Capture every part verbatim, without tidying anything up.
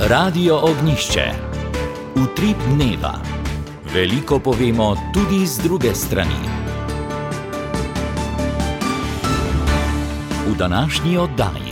Radio Ognjišče. Utrip dneva. Veliko povemo tudi z druge strani. V današnji oddaji.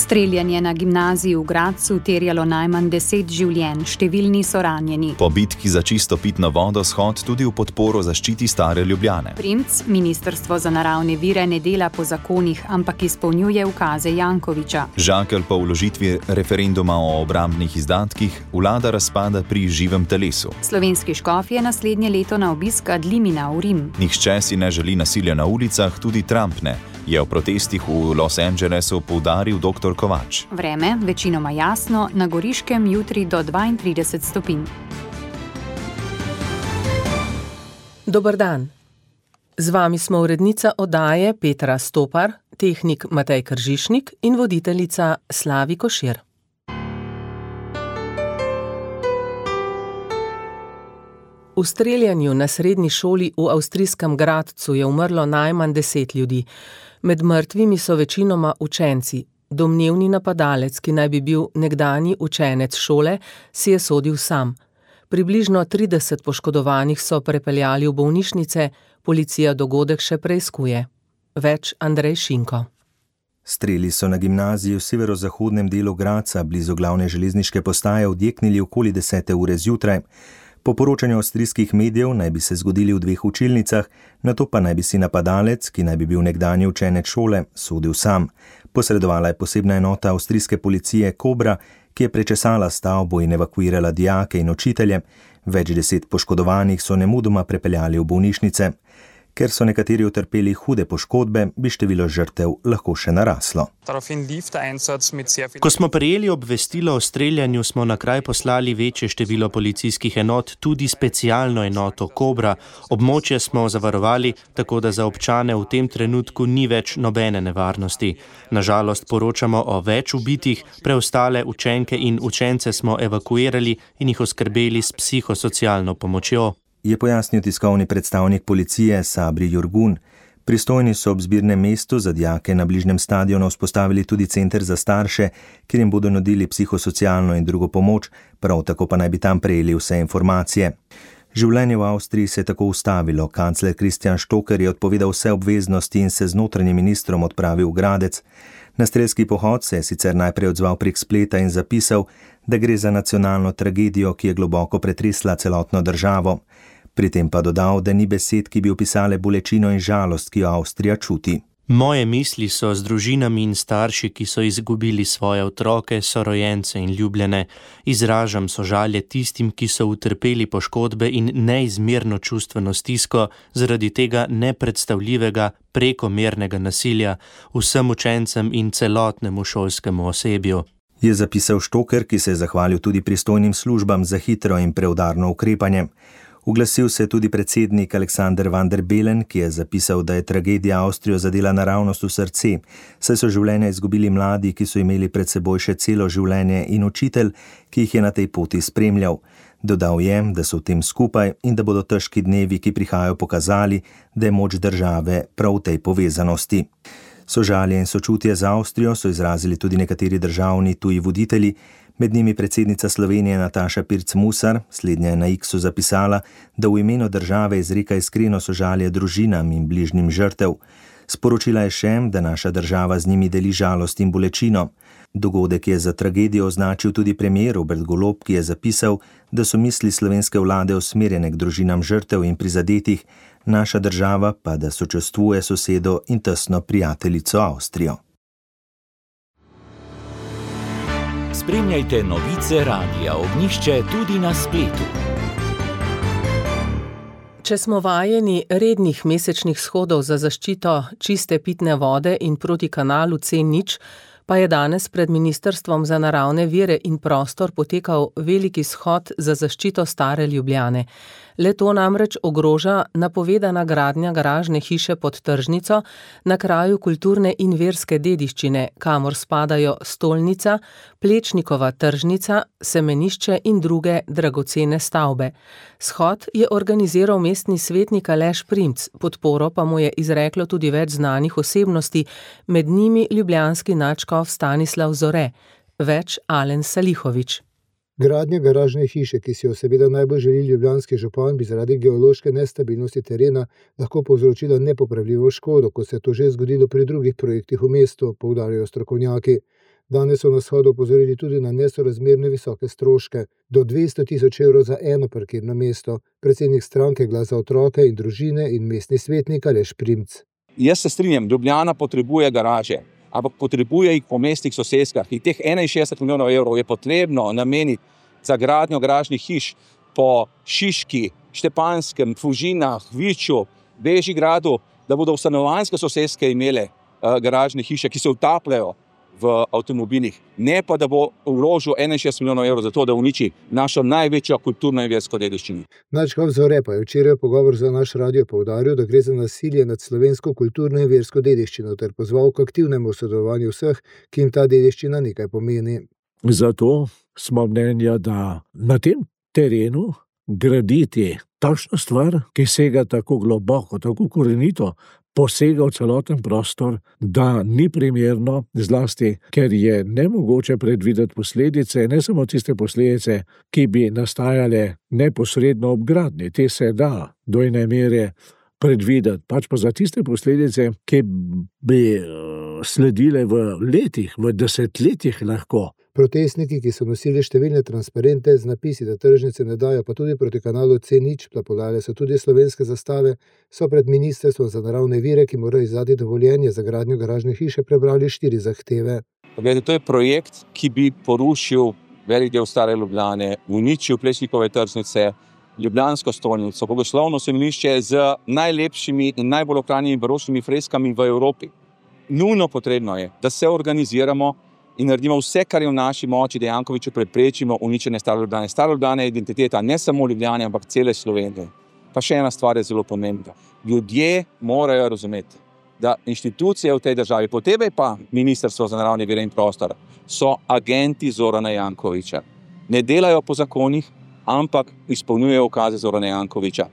Streljanje na gimnaziji v Gradcu terjalo najmanj deset življenj, številni so ranjeni. Po bitki za čisto pitno vodo shod tudi v podporo zaščiti stare Ljubljane. Primc, Ministrstvo za naravne vire ne dela po zakonih, ampak izpolnjuje ukaze Jankovića. Žakelj po vložitvi referenduma o obrambnih izdatkih, vlada razpada pri živem telesu. Slovenski škof je naslednje leto na obisk ad limina v Rim. Nihče si ne želi nasilja na ulicah, tudi Trump ne, je v protestih v Los Angelesu poudaril doktor Kovač. Vreme, večinoma jasno, na Goriškem jutri do dvaintrideset stopinj. Dober dan. Z vami smo urednica oddaje Petra Stopar, tehnik Matej Kržišnik in voditeljica Slavi Košir. V streljanju na srednji šoli v avstrijskem Gradcu je umrlo najmanj deset ljudi. Med mrtvimi so večinoma učenci. Domnevni napadalec, ki naj bi bil nekdanji učenec šole, si je sodil sam. Približno trideset poškodovanih so prepeljali v bolnišnice, policija dogodek še preiskuje. Več Andrej Šinko. Streli so na gimnaziji v severozahodnem delu Gradca, blizu glavne železniške postaje, odjeknili okoli desete ure zjutraj. Po poročanju avstrijskih medijev naj bi se zgodili v dveh učilnicah, nato pa naj bi si napadalec, ki naj bi bil nekdanji učenec šole, sodil sam. Posredovala je posebna enota avstrijske policije Kobra, ki je prečesala stavbo in evakuirala dijake in učitelje. Več deset poškodovanih so nemudoma prepeljali v bolnišnice. Ker so nekateri utrpeli hude poškodbe, bi število žrtev lahko še naraslo. Ko smo prejeli obvestilo o streljanju, smo na kraj poslali večje število policijskih enot, tudi specialno enoto Kobra. Območje smo zavarovali, tako da za občane v tem trenutku ni več nobene nevarnosti. Nažalost poročamo o več ubitih, preostale učenke in učence smo evakuirali in jih oskrbeli s psihosocialno pomočjo, je pojasnil tiskovni predstavnik policije Sabri Jurgun. Pristojni so ob zbirnem mestu za dijake na bližnjem stadionu vzpostavili tudi center za starše, kjer jim bodo nudili psihosocialno in drugo pomoč, prav tako pa naj bi tam prejeli vse informacije. Življenje v Avstriji se je tako ustavilo. Kancler Christian Stocker je odpovedal vse obveznosti in se z notranjim ministrom odpravil v Gradec. Na strelski pohod se je sicer najprej odzval prek spleta in zapisal, da gre za nacionalno tragedijo, ki je globoko pretresla celotno državo. Pri tem pa dodal, da ni besed, ki bi opisale bolečino in žalost, ki jo Avstrija čuti. Moje misli so z družinami in starši, ki so izgubili svoje otroke, sorojence in ljubljene. Izražam sožalje tistim, ki so utrpeli poškodbe in neizmerno čustveno stisko zaradi tega nepredstavljivega, prekomernega nasilja vsem učencem in celotnemu šolskemu osebju, je zapisal Stocker, ki se je zahvalil tudi pristojnim službam za hitro in preudarno ukrepanje. Uglasil se je tudi predsednik Aleksander van der Bellen, ki je zapisal, da je tragedija Avstrijo zadela naravnost v srce, saj so življenja izgubili mladi, ki so imeli pred seboj še celo življenje, in učitelj, ki jih je na tej poti spremljal. Dodal je, da so v tem skupaj in da bodo težki dnevi, ki prihajajo, pokazali, da je moč države prav v tej povezanosti. Sožalje in sočutje za Avstrijo so izrazili tudi nekateri državni tuji voditelji, med njimi predsednica Slovenije Nataša Pirc Musar. Slednja je na X-u zapisala, da v imenu države izreka iskreno sožalje družinam in bližnjim žrtev. Sporočila je še, da naša država z njimi deli žalost in bolečino. Dogodek je za tragedijo označil tudi premier Robert Golob, ki je zapisal, da so misli slovenske vlade usmerjene k družinam žrtev in prizadetih, naša država pa da sočustvuje sosedo in tesno prijateljico Avstrijo. Spremljajte novice Radia Ognjišče tudi na spletu. Če smo vajeni rednih mesečnih shodov za zaščito čiste pitne vode in proti kanalu C nič, pa je danes pred Ministrstvom za naravne vire in prostor potekal veliki shod za zaščito stare Ljubljane. Le to namreč ogroža napovedana gradnja garažne hiše pod tržnico na kraju kulturne in verske dediščine, kamor spadajo stolnica, Plečnikova tržnica, semenišče in druge dragocene stavbe. Shod je organiziral mestni svetnik Aleš Primc, podporo pa mu je izreklo tudi več znanih osebnosti, med njimi ljubljanski nadškof Stanislav Zore. Več Alen Salihovič. Gradnja garažne hiše, ki si jo seveda najbolj želi ljubljanski župan, bi zaradi geološke nestabilnosti terena lahko povzročila nepopravljivo škodo, kot se je to že zgodilo pri drugih projektih v mestu, poudarjajo strokovnjaki. Danes so na shodu opozorili tudi na nesorazmerne visoke stroške, do dvesto tisoč evrov za eno parkirno mesto. Predsednik stranke Glas za otroke in družine in mestni svetnik Aleš Primc. Jaz se strinjam, Ljubljana potrebuje garaže, ampak potrebuje jih po mestnih soseskah. In teh enainšestdeset milijonov evrov je potrebno nameniti za gradnjo garažnih hiš po Šiški, Štepanskem, Fužinah, Viču, Bežigradu, da bodo stanovanjske soseske imele uh, garažne hiše, ki se utapljajo v avtomobilih, ne pa da bo vložil enainšestdeset milijonov evrov za to, da uniči našo največjo kulturno in versko dediščino. Nadškof Zore pa je včeraj v pogovor za naš radio poudaril, da gre za nasilje nad slovensko kulturno in versko dediščino ter pozval k aktivnemu sodelovanju vseh, ki jim ta dediščina nekaj pomeni. Zato smo mnenja, da na tem terenu graditi takšno stvar, ki sega tako globoko, tako korenito, posega v celoten prostor, da ni primerno, zlasti, ker je nemogoče predvideti posledice, ne samo tiste posledice, ki bi nastajale neposredno ob gradnji. Te se da do ene mere predvideti, pač pa za tiste posledice, ki bi sledile v letih, v desetletjih lahko. Protestniki, ki so nosili številne transparente z napisi, da tržnice ne dajo, pa tudi proti kanalu C nič, plapolale so tudi slovenske zastave, so pred ministrstvom za naravne vire, ki mora izdati dovoljenje za gradnjo garažne hiše, prebrali štiri zahteve. Poglejte, to je projekt, ki bi porušil velik del stare Ljubljane, uničil Plečnikove tržnice, ljubljansko stolnico, bogoslovno semenišče z najlepšimi in najbolj ohranjenimi baročnimi freskami v Evropi. Nujno potrebno je, da se organiziramo in naredimo vse, kar je v naši moči, da Jankoviću preprečimo uničenje stare Ljubljane. Stara Ljubljana je identiteta ne samo Ljubljane, ampak cele Slovenije. Pa še ena stvar je zelo pomembna. Ljudje morajo razumeti, da inštitucije v tej državi, posebej pa Ministrstvo za naravne vire in prostor, so agenti Zorana Jankovića. Ne delajo po zakonih, ampak izpolnjujejo ukaze Zorana Jankovića.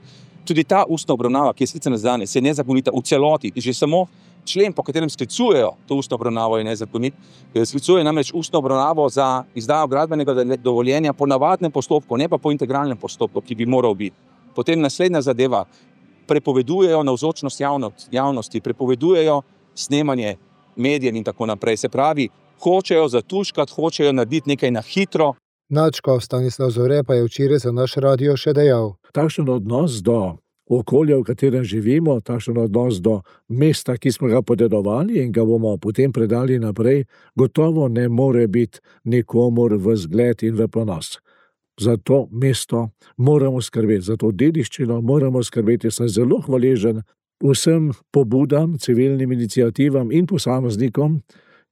Tudi ta ustna obravnava, ki je sicer danes, je nezakonita v celoti. Že samo člen, po katerem sklicujejo to ustno obravnavo, je nezakonit. Sklicuje namreč ustno obravnavo za izdajo gradbenega dovoljenja po navadnem postopku, ne pa po integralnem postopku, ki bi moral biti. Potem naslednja zadeva, prepovedujejo navzočnost javnosti, prepovedujejo snemanje medijev in tako naprej. Se pravi, hočejo zatuškati, hočejo narediti nekaj na hitro. Nadškof Stanislav Zore pa je včeraj za naš radio še dejal. Takšen odnos do okolja, v katerem živimo, takšen odnos do mesta, ki smo ga podedovali in ga bomo potem predali naprej, gotovo ne more biti nikomur v zgled in v ponos. Za to mesto moramo skrbeti, za to dediščino moramo skrbeti. Sem zelo hvaležen vsem pobudam, civilnim iniciativam in posameznikom,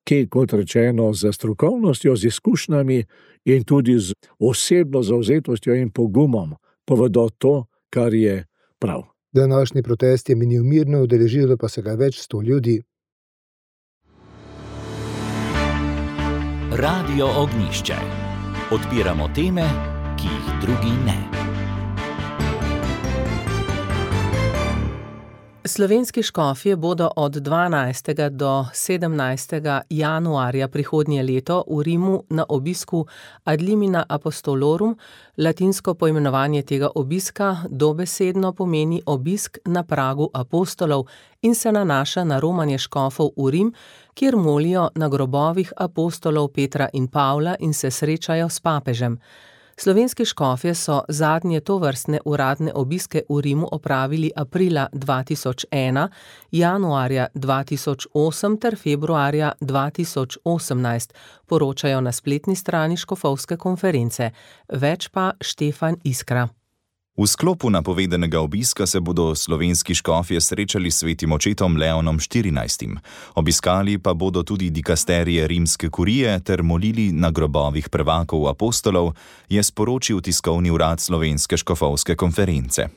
ki, kot rečeno, z strokovnostjo, z izkušnjami in tudi z osebno zavzetostjo in pogumom povedo to, kar je prav. Današnji protest je minil mirno, udeležilo pa se ga več sto ljudi. Radio Ognjišče. Odpiramo teme, ki jih drugi ne. Slovenski škofje bodo od dvanajstega do sedemnajstega januarja prihodnje leto v Rimu na obisku Ad limina apostolorum. Latinsko poimenovanje tega obiska dobesedno pomeni obisk na pragu apostolov in se nanaša na romanje škofov v Rim, kjer molijo na grobovih apostolov Petra in Pavla in se srečajo s papežem. Slovenski škofje so zadnje tovrstne uradne obiske v Rimu opravili aprila dva tisoč ena, januarja dva tisoč osem ter februarja dva tisoč osemnajst, poročajo na spletni strani škofovske konference. Več pa Štefan Iskra. V sklopu napovedanega obiska se bodo slovenski škofje srečali s svetim očetom Leonom štirinajstim. Obiskali pa bodo tudi dikasterije rimske kurije ter molili na grobovih prvakov apostolov, je sporočil tiskovni urad slovenske škofovske konference.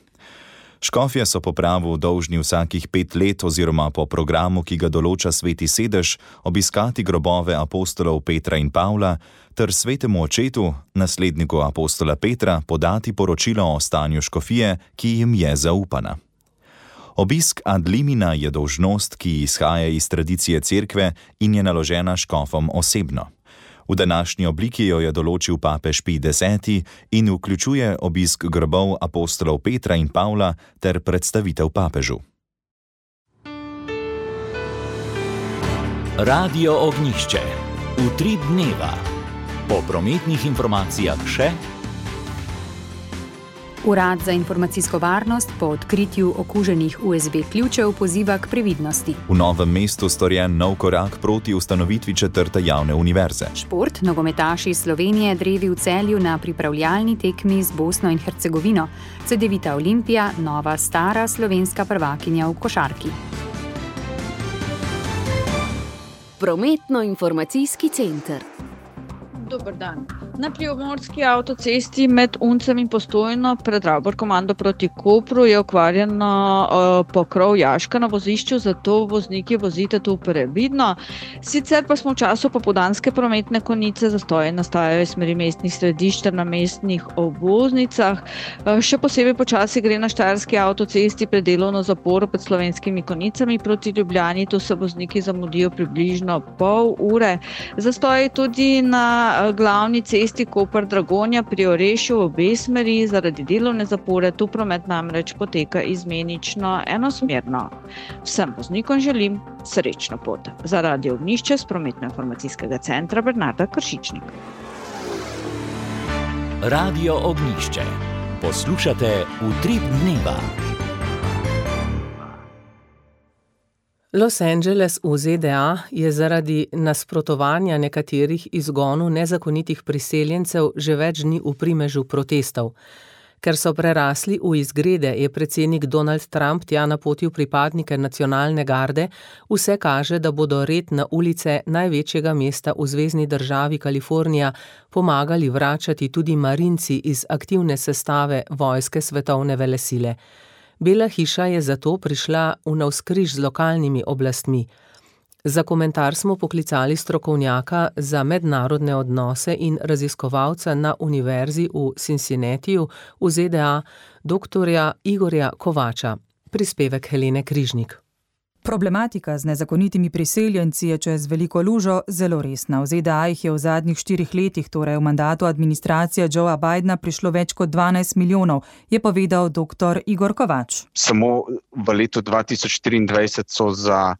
Škofje so po pravu dolžni vsakih pet let oziroma po programu, ki ga določa sveti sedež, obiskati grobove apostolov Petra in Pavla ter svetemu očetu, nasledniku apostola Petra, podati poročilo o stanju škofije, ki jim je zaupana. Obisk ad limina je dolžnost, ki izhaja iz tradicije cerkve in je naložena škofom osebno. V današnji obliki jo je določil papež Pij deseti in vključuje obisk grobov apostolov Petra in Pavla ter predstavitev papežu. Radio Ognjišče. Utrip dneva. Po prometnih informacijah še. Urad za informacijsko varnost po odkritju okuženih U S B ključev poziva k previdnosti. V Novem mestu storjen nov korak proti ustanovitvi četrte javne univerze. Šport, nogometaši Slovenije drevi v Celju na pripravljalni tekmi z Bosno in Hercegovino. Cedevita Olimpija, nova stara slovenska prvakinja v košarki. Prometno-informacijski center. Dober dan. Na Primorski avtocesti med Uncem in Postojno pred Ravbor komando proti Kopru je okvarjeno uh, pokrov jaška na vozišču, zato vozniki vozite tu previdno. Sicer pa smo v času popoldanske prometne konice, zastoje nastajajo iz smeri mestnih središč ter na mestnih obvoznicah. Uh, še posebej počasi gre na Štajerski avtocesti pred delovno zaporo pred Slovenskimi konicami proti Ljubljani, tu se vozniki zamudijo približno pol ure. Zastoje tudi na glavni cesti Koper-Dragonja pri Orešju v obe smeri zaradi delovne zapore, tu promet namreč poteka izmenično enosmerno. Vsem voznikom želim srečno pot. Za Radio Ognjišče s prometno-informacijskega centra Bernarda Kršičnik. Radio Ognjišče. Poslušate Utrip dneva. Los Angeles v Z D A je zaradi nasprotovanja nekaterih izgonu nezakonitih priseljencev že več dni v primežu protestov. Ker so prerasli v izgrede, je predsednik Donald Trump tja napotil pripadnike nacionalne garde, vse kaže, da bodo red na ulice največjega mesta v zvezni državi Kalifornija pomagali vračati tudi marinci iz aktivne sestave vojske svetovne velesile. Bela hiša je zato prišla v navzkriž z lokalnimi oblastmi. Za komentar smo poklicali strokovnjaka za mednarodne odnose in raziskovalca na univerzi v Cincinnatiju v Z D A, doktorja Igorja Kovača. Prispevek Helene Križnik. Problematika z nezakonitimi priseljenci je čez veliko lužo zelo resna. V Z D A jih je v zadnjih štirih letih, torej v mandatu administracije Joea Bidena, prišlo več kot dvanajst milijonov, je povedal doktor Igor Kovač. Samo v letu dva tisoč štiriindvajset so za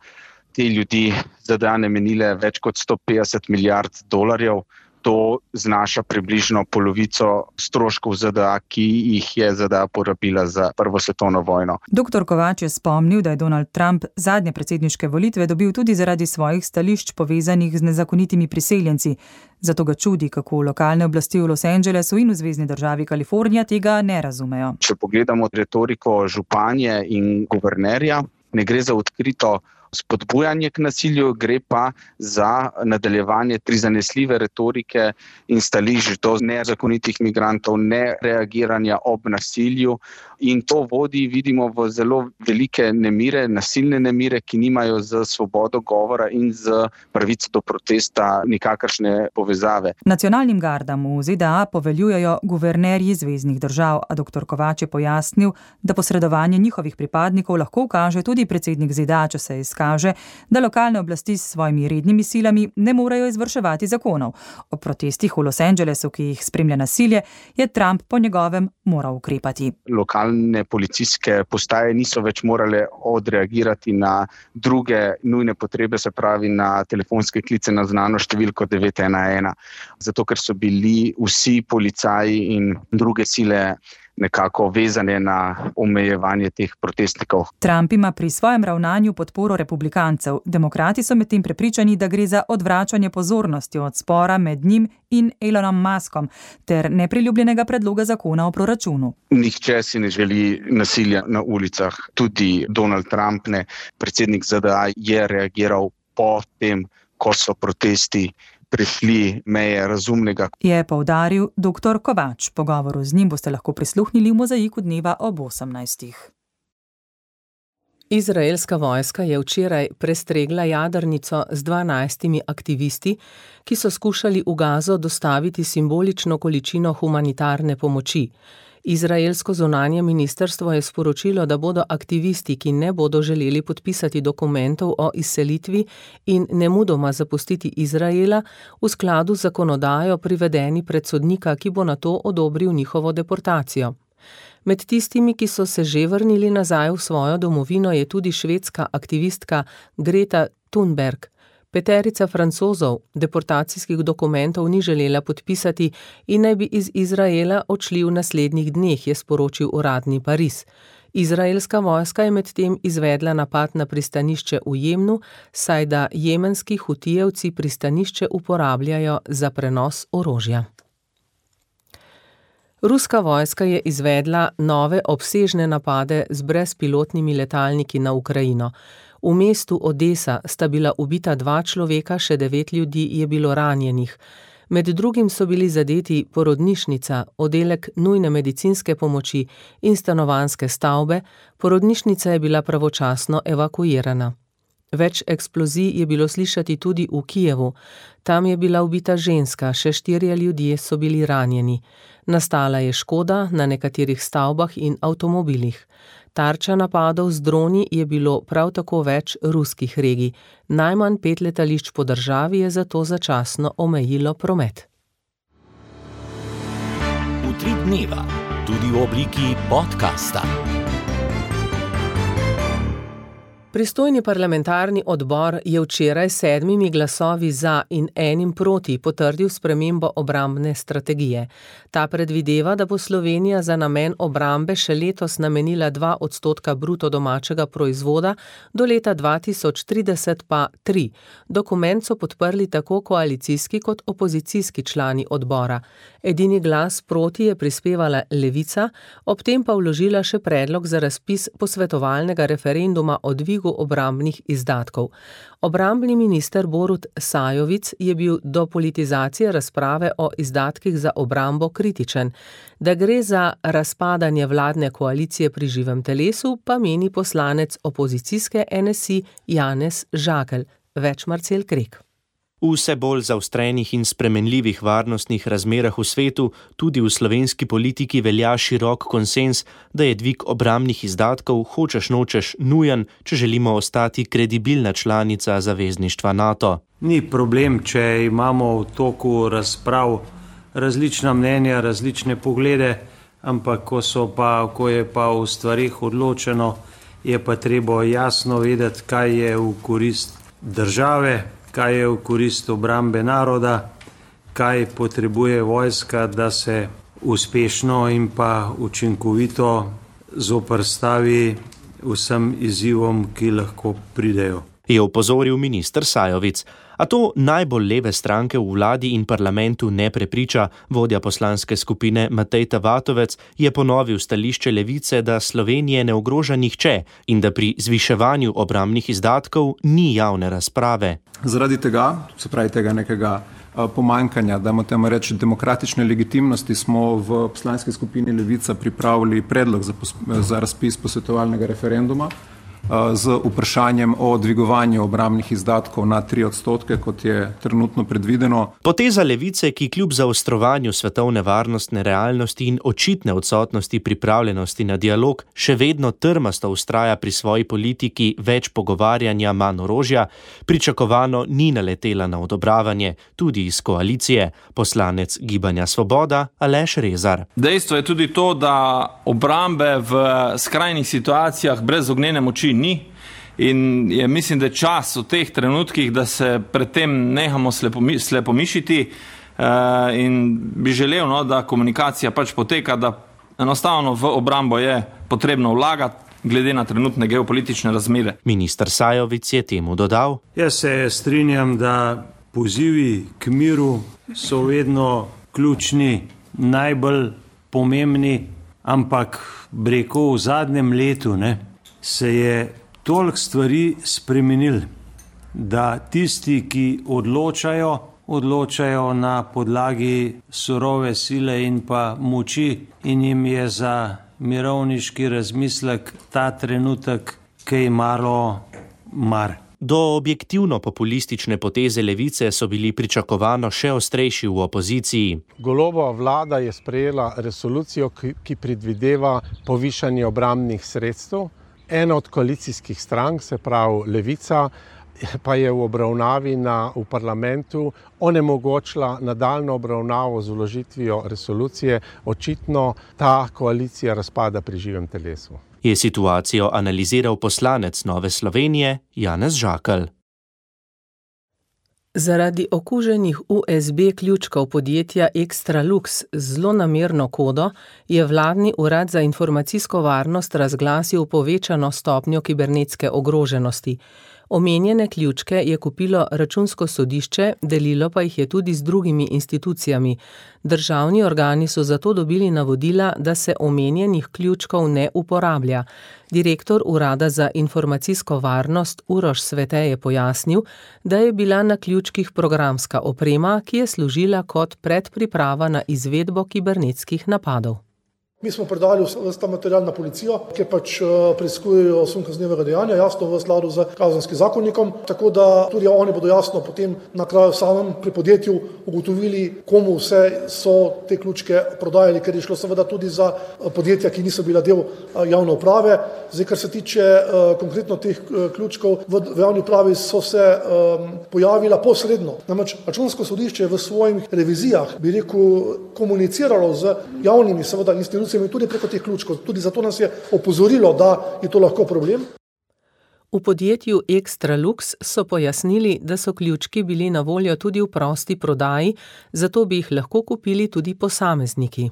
te ljudi Z D A namenile več kot sto petdeset milijard dolarjev. To znaša približno polovico stroškov Z D A, ki jih je Z D A porabila za prvo svetovno vojno. Doktor Kovač je spomnil, da je Donald Trump zadnje predsedniške volitve dobil tudi zaradi svojih stališč povezanih z nezakonitimi priseljenci. Zato ga čudi, kako lokalne oblasti v Los Angelesu in v zvezni državi Kalifornija tega ne razumejo. Če pogledamo retoriko županje in guvernerja, ne gre za odkrito spodbujanje k nasilju, gre pa za nadaljevanje prizanesljive retorike in stališč do nezakonitih migrantov, ne reagiranja ob nasilju. In to vodi, vidimo, v zelo velike nemire, nasilne nemire, ki nimajo z svobodo govora in z pravico do protesta nikakršne povezave. Nacionalnim gardam v Z D A poveljujejo guvernerji zveznih držav, a doktor Kovač je pojasnil, da posredovanje njihovih pripadnikov lahko ukaže tudi predsednik Z D A, če se izkaže, da lokalne oblasti s svojimi rednimi silami ne morejo izvrševati zakonov. O protestih v Los Angelesu, ki jih spremlja nasilje, je Trump po njegovem moral ukrepati. Lokalne policijske postaje niso več morale odreagirati na druge nujne potrebe, se pravi na telefonske klice na znano številko devet ena ena. Zato, ker so bili vsi policaji in druge sile nekako vezane na omejevanje teh protestnikov. Trump ima pri svojem ravnanju podporo republikancev. Demokrati so medtem prepričani, da gre za odvračanje pozornosti od spora med njim in Elonom Muskom ter nepriljubljenega predloga zakona o proračunu. Nihče si ne želi nasilja na ulicah, tudi Donald Trump ne. Predsednik Z D A je reagiral po tem, ko so protesti prešli meje razumnega. Je poudaril doktor Kovač. Pogovoru z njim boste lahko prisluhnili v Mozaiku dneva ob osemnajstih. Izraelska vojska je včeraj prestregla jadrnico z dvanajstimi aktivisti, ki so skušali v Gazo dostaviti simbolično količino humanitarne pomoči. Izraelsko zunanje ministrstvo je sporočilo, da bodo aktivisti, ki ne bodo želeli podpisati dokumentov o izselitvi in nemudoma zapustiti Izraela, v skladu z zakonodajo privedeni pred sodnika, ki bo nato odobril njihovo deportacijo. Med tistimi, ki so se že vrnili nazaj v svojo domovino, je tudi švedska aktivistka Greta Thunberg. Peterica Francozov deportacijskih dokumentov ni želela podpisati in naj bi iz Izraela odšli v naslednjih dneh, je sporočil uradni Pariz. Izraelska vojska je medtem izvedla napad na pristanišče v Jemnu, saj da jemenski hutijevci pristanišče uporabljajo za prenos orožja. Ruska vojska je izvedla nove obsežne napade z brezpilotnimi letalniki na Ukrajino. V mestu Odesa sta bila ubita dva človeka, še devet ljudi je bilo ranjenih. Med drugim so bili zadeti porodnišnica, oddelek nujne medicinske pomoči in stanovanjske stavbe, porodnišnica je bila pravočasno evakuirana. Več eksplozij je bilo slišati tudi v Kijevu. Tam je bila ubita ženska, še štirje ljudje so bili ranjeni. Nastala je škoda na nekaterih stavbah in avtomobilih. Tarča napadov z droni je bilo prav tako več ruskih regij. Najmanj pet letališč po državi je zato začasno omejilo promet. Utrip dneva, tudi v obliki podcasta. Pristojni parlamentarni odbor je včeraj sedmimi glasovi za in enim proti potrdil spremembo obrambne strategije. Ta predvideva, da bo Slovenija za namen obrambe še letos namenila dva odstotka bruto domačega proizvoda, do leta dva tisoč trideset pa tri. Dokument so podprli tako koalicijski kot opozicijski člani odbora. Edini glas proti je prispevala Levica, ob tem pa vložila še predlog za razpis posvetovalnega referenduma o dvigu obrambnih izdatkov. Obrambni minister Borut Sajovic je bil do politizacije razprave o izdatkih za obrambo kritičen. Da gre za razpadanje vladne koalicije pri živem telesu, pa meni poslanec opozicijske N S I Janez Žakelj. Več Marcel Krek. V vse bolj zaostrenih in spremenljivih varnostnih razmerah v svetu, tudi v slovenski politiki velja širok konsenz, da je dvig obrambnih izdatkov hočeš nočeš nujen, če želimo ostati kredibilna članica zavezništva NATO. Ni problem, če imamo v toku razprav različna mnenja, različne poglede, ampak ko, so pa, ko je pa v stvarih odločeno, je pa treba jasno vedeti, kaj je v korist države, kaj je v korist obrambe naroda, kaj potrebuje vojska, da se uspešno in pa učinkovito zoperstavi vsem izzivom, ki lahko pridejo. Je opozoril minister Sajovic. A to najbolj leve stranke v vladi in parlamentu ne prepriča. Vodja poslanske skupine Matej Tavatovec je ponovil stališče Levice, da Slovenije ne ogroža nihče in da pri zviševanju obrambnih izdatkov ni javne razprave. Zaradi tega, se pravi tega nekega pomanjkanja, da moramo reči demokratične legitimnosti, smo v poslanski skupini Levica pripravili predlog za, za razpis posvetovalnega referenduma z vprašanjem o dvigovanju obrambnih izdatkov na tri odstotke, kot je trenutno predvideno. Poteza Levice, ki kljub zaostrovanju svetovne varnostne realnosti in očitne odsotnosti pripravljenosti na dialog, še vedno trmasto vztraja pri svoji politiki več pogovarjanja, manj orožja, pričakovano ni naletela na odobravanje, tudi iz koalicije. Poslanec Gibanja Svoboda Aleš Rezar. Dejstvo je tudi to, da obrambe v skrajnih situacijah brez ognjene moči ni in je, mislim, da je čas v teh trenutkih, da se pred tem nehamo slepomi, slepomišiti uh, in bi želel, no, da komunikacija pač poteka, da enostavno v obrambo je potrebno vlagati glede na trenutne geopolitične razmere. Minister Sajovic je temu dodal. Jaz se strinjam, da pozivi k miru so vedno ključni, najbolj pomembni, ampak breko v zadnjem letu, ne, se je toliko stvari spremenil, da tisti, ki odločajo, odločajo na podlagi surove sile in pa moči in jim je za mirovniški razmislek ta trenutek kaj malo mar. Do objektivno populistične poteze levice so bili pričakovano še ostrejši v opoziciji. Golobova vlada je sprejela resolucijo, ki predvideva povišanje obrambnih sredstev. Ena od koalicijskih strank, se pravi Levica, pa je v obravnavi na, v parlamentu onemogočila nadaljnjo obravnavo z vložitvijo resolucije. Očitno ta koalicija razpada pri živem telesu. Je situacijo analiziral poslanec Nove Slovenije Janez Žakelj. Zaradi okuženih U S B ključkov podjetja Extralux z zlonamerno kodo je vladni urad za informacijsko varnost razglasil povečano stopnjo kibernetske ogroženosti. Omenjene ključke je kupilo Računsko sodišče, delilo pa jih je tudi z drugimi institucijami. Državni organi so zato dobili navodila, da se omenjenih ključkov ne uporablja. Direktor Urada za informacijsko varnost Uroš Svete je pojasnil, da je bila na ključkih programska oprema, ki je služila kot predpriprava na izvedbo kibernetskih napadov. Mi smo predali vse ta material na policijo, ki pač preiskujejo sum kaznivega dejanja, jasno v skladu z kazenskim zakonnikom, tako da tudi oni bodo jasno potem na kraju samem pri podjetju ugotovili, komu vse so te ključke prodajali, ker je šlo seveda tudi za podjetja, ki niso bila del javne uprave. Zdaj, kar se tiče konkretno teh ključkov, v javni upravi so se pojavila posredno. Namreč Računsko sodišče v svojih revizijah, bi rekel, komuniciralo z javnimi seveda institucijami, tudi preko teh ključkov. Tudi zato nas je opozorilo, da je to lahko problem. V podjetju Extralux so pojasnili, da so ključki bili na voljo tudi v prosti prodaji, zato bi jih lahko kupili tudi posamezniki.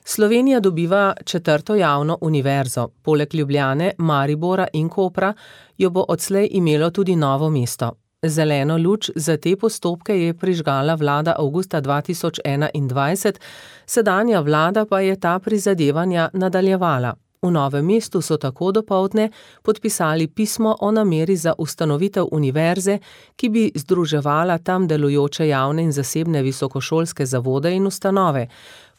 Slovenija dobiva četrto javno univerzo. Poleg Ljubljane, Maribora in Kopra jo bo odslej imelo tudi Novo mesto. Zeleno luč za te postopke je prižgala vlada avgusta dva tisoč enaindvajset, sedanja vlada pa je ta prizadevanja nadaljevala. V Novem mestu so tako dopoldne podpisali pismo o nameri za ustanovitev univerze, ki bi združevala tam delujoče javne in zasebne visokošolske zavode in ustanove.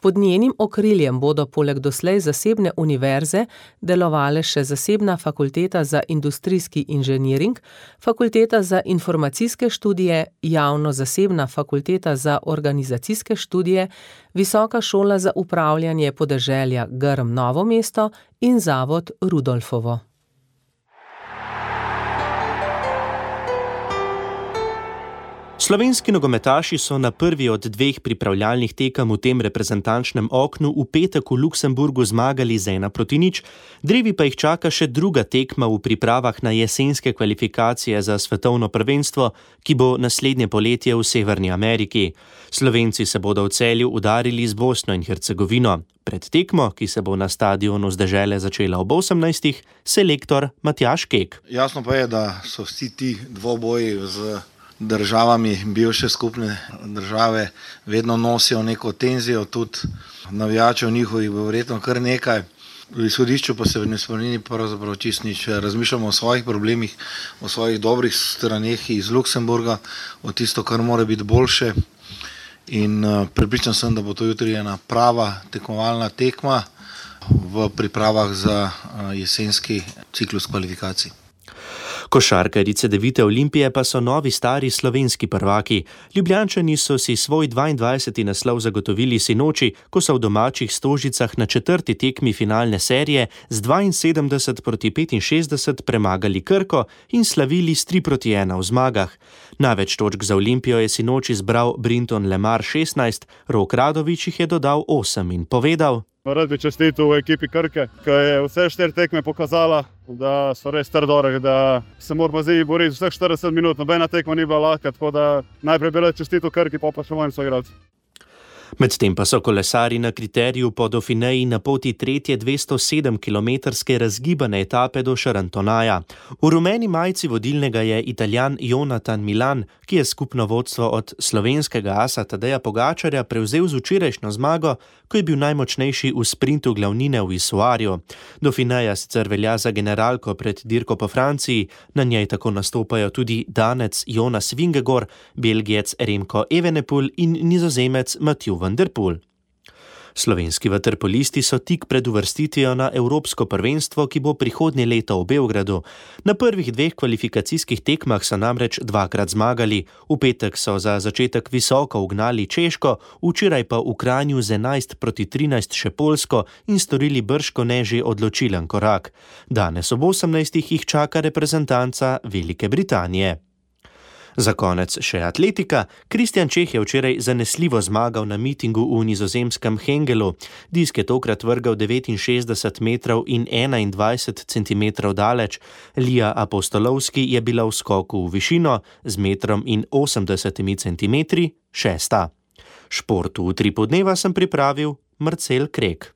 Pod njenim okriljem bodo poleg doslej zasebne univerze delovale še zasebna fakulteta za industrijski inženiring, fakulteta za informacijske študije, javno-zasebna fakulteta za organizacijske študije, Visoka šola za upravljanje podeželja Grm Novo mesto in zavod Rudolfovo. Slovenski nogometaši so na prvi od dveh pripravljalnih tekem v tem reprezentančnem oknu v petek v Luksemburgu zmagali z ena proti nič, drevi pa jih čaka še druga tekma v pripravah na jesenske kvalifikacije za svetovno prvenstvo, ki bo naslednje poletje v Severni Ameriki. Slovenci se bodo v Celju udarili z Bosno in Hercegovino. Pred tekmo, ki se bo na stadionu z dežele začela ob osemnajstih, selektor Matjaž Kek. Jasno pa je, da so vsi ti dvoboji z državami, bivše skupne države, vedno nosijo neko tenzijo, tudi navijačev njihovih bo verjetno kar nekaj. V izhodišču pa se ne spremeni pravzaprav čisto nič. Razmišljamo o svojih problemih, o svojih dobrih straneh iz Luksemburga, o tisto, kar mora biti boljše. In prepričan sem, da bo to jutri ena prava tekmovalna tekma v pripravah za jesenski ciklus kvalifikacij. Košarkarice Devite Olimpije pa so novi stari slovenski prvaki. Ljubljančani so si svoj dvaindvajseti naslov zagotovili sinoči, ko so v domačih Stožicah na četrti tekmi finalne serije z dvainsedemdeset proti petinšestdeset premagali Krko in slavili s tri proti ena v zmagah. Največ točk za Olimpijo je sinoči zbral Brinton Lemar šestnajst, Rok Radovič jih je dodal osem in povedal: Rad bi čestitil v ekipi Krke, ki je vse štiri tekme pokazala, da so res trdorehi, da se moramo zdaj boriti vseh štirideset minut. Nobena tekma ni bila lahka, tako da najprej bi rad čestitil Krki, pa pa še mojim soigralcem. Medtem pa so kolesari na kriteriju po Dauphineji na poti tretje dvestosedemkilometrske razgibane etape do Charentonaja. V rumeni majici vodilnega je Italijan Jonathan Milan, ki je skupno vodstvo od slovenskega asa Tadeja Pogačarja prevzel z včerajšnjo zmago, ko je bil najmočnejši v sprintu glavnine v Isuarju. Dauphineja sicer velja za generalko pred dirko po Franciji, na njej tako nastopajo tudi Danec Jonas Vingegaard, Belgijec Remco Evenepoel in Nizozemec Mathieu van der Poel. Slovenski vaterpolisti so tik pred uvrstitvijo na Evropsko prvenstvo, ki bo prihodnje leto v Beogradu. Na prvih dveh kvalifikacijskih tekmah so namreč dvakrat zmagali. V petek so za začetek visoko ugnali Češko, včeraj pa v Kranju z enajst proti trinajst še Poljsko in storili bržkone že odločilen korak. Danes ob osemnajstih jih čaka reprezentanca Velike Britanije. Za konec še atletika. Kristjan Čeh je včeraj zanesljivo zmagal na mitingu v nizozemskem Hengelu. Disk je tokrat vrgal devetinšestdeset metrov in enaindvajset centimetrov daleč. Lija Apostolovski je bila v skoku v višino z metrom in osemdesetimi centimetri šesta. Športu v Utripu dneva sem pripravil Marcel Krek.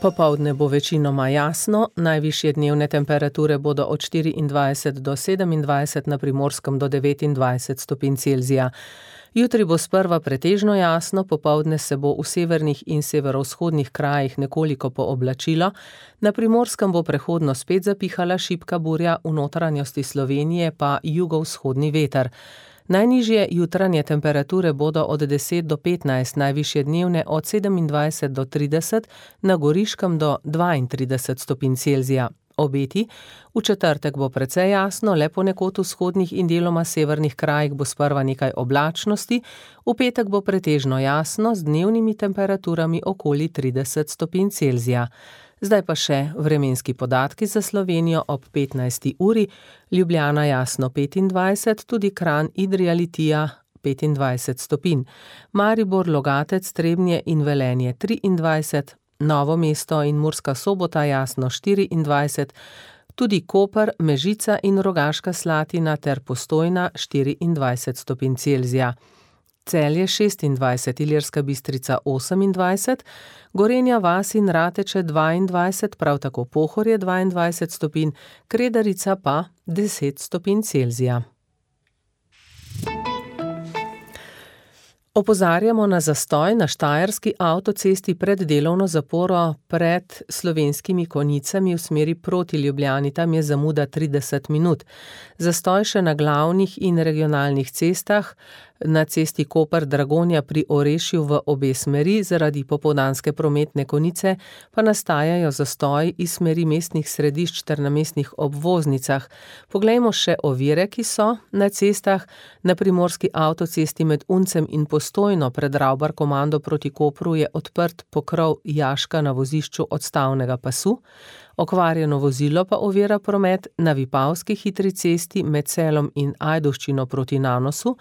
Popoldne bo večinoma jasno, najvišje dnevne temperature bodo od štiriindvajset do sedemindvajset, na Primorskem do devetindvajset stopinj Celzija. Jutri bo sprva pretežno jasno, popoldne se bo v severnih in severovzhodnih krajih nekoliko pooblačilo, na Primorskem bo prehodno spet zapihala šibka burja, v notranjosti Slovenije pa jugovzhodni veter. Najnižje jutranje temperature bodo od deset do petnajst, najvišje dnevne od sedemindvajset do trideset, na Goriškem do dvaintrideset stopinj Celzija. Obeti: v četrtek bo precej jasno, le ponekod v vzhodnih in deloma severnih krajih bo sprva nekaj oblačnosti, v petek bo pretežno jasno z dnevnimi temperaturami okoli trideset stopinj Celzija. Zdaj pa še vremenski podatki za Slovenijo ob petnajsti uri, Ljubljana jasno petindvajset, tudi Kranj, Idrija, Litija petindvajset stopinj, Maribor, Logatec, Trebnje in Velenje triindvajset, Novo mesto in Murska Sobota jasno štiriindvajset, tudi Koper, Mežica in Rogaška Slatina ter Postojna štiriindvajset stopinj Celzija. Celje šestindvajset, Ilirska Bistrica osemindvajset, Gorenja vas in Rateče dvaindvajset, prav tako Pohorje dvaindvajset stopinj, Kredarica pa deset stopinj Celzija. Opozarjamo na zastoj na štajerski avtocesti pred delovno zaporo pred Slovenskimi Konjicami v smeri proti Ljubljani, tam je zamuda trideset minut. Zastoj še na glavnih in regionalnih cestah, na cesti Koper-Dragonja pri Orešju v obe smeri, zaradi popoldanske prometne konice pa nastajajo zastoji iz smeri mestnih središč ter na mestnih obvoznicah. Poglejmo še ovire, ki so na cestah. Na primorski avtocesti med Uncem in Postojno pred Ravbar komando proti Kopru je odprt pokrov jaška na vozišču odstavnega pasu. Okvarjeno vozilo pa ovira promet na Vipavski hitri cesti med Celom in Ajdovščino proti Nanosu,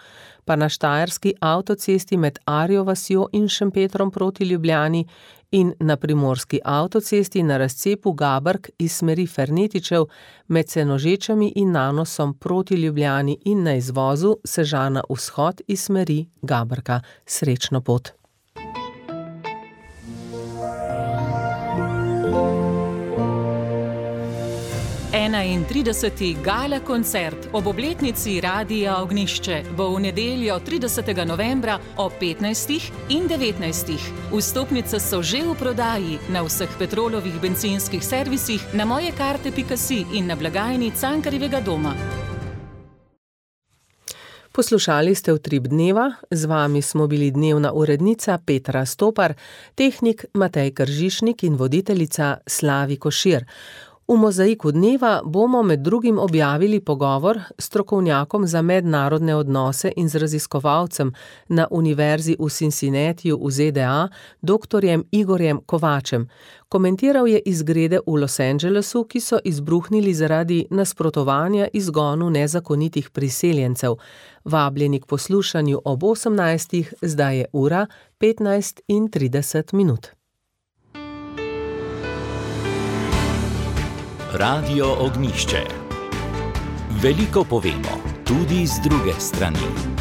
pa na štajerski avtocesti med Arjo vasjo in Šempetrom proti Ljubljani in na primorski avtocesti na razcepu Gabrk iz smeri Fernetičev med Senožečami in Nanosom proti Ljubljani in na izvozu Sežana vzhod iz smeri Gabrka. Srečno pot! enaintrideseti gala koncert ob obletnici Radia Ognjišče bo v nedeljo tridesetega novembra ob petnajstih in devetnajstih. Vstopnice so že v prodaji na vseh Petrolovih bencinskih servisih, na mojekarte pika si in na blagajni Cankarjevega doma. Poslušali ste Utrip dneva, z vami smo bili dnevna urednica Petra Stopar, tehnik Matej Kržišnik in voditeljica Slavi Košir. V Mozaiku dneva bomo med drugim objavili pogovor s strokovnjakom za mednarodne odnose in z raziskovalcem na Univerzi v Cincinnatiju v Z D A, doktorjem Igorjem Kovačem. Komentiral je izgrede v Los Angelesu, ki so izbruhnili zaradi nasprotovanja izgonu nezakonitih priseljencev. Vabljeni k poslušanju ob osemnajstih, zdaj je ura petnajst in trideset minut. Radio Ognjišče. Veliko povemo, tudi z druge strani.